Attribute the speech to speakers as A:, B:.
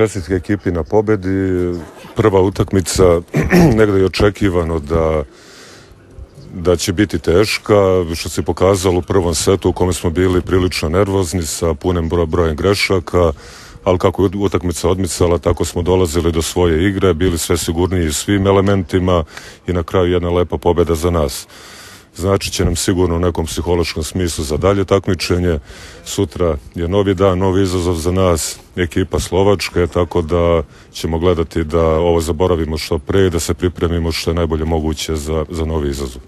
A: čestitke ekipi na pobedi. Prva utakmica, negde je očekivano da će biti teška, što se pokazalo u prvom setu u kome smo bili prilično nervozni sa punim brojem grešaka, ali kako je utakmica odmicala, tako smo dolazili do svoje igre, bili sve sigurniji svim elementima i na kraju jedna lepa pobeda za nas. Znači će nam sigurno u nekom psihološkom smislu za dalje takmičenje. Sutra je novi dan, novi izazov za nas, ekipa Slovačke, tako da ćemo gledati da ovo zaboravimo što pre i da se pripremimo što je najbolje moguće za novi izazov.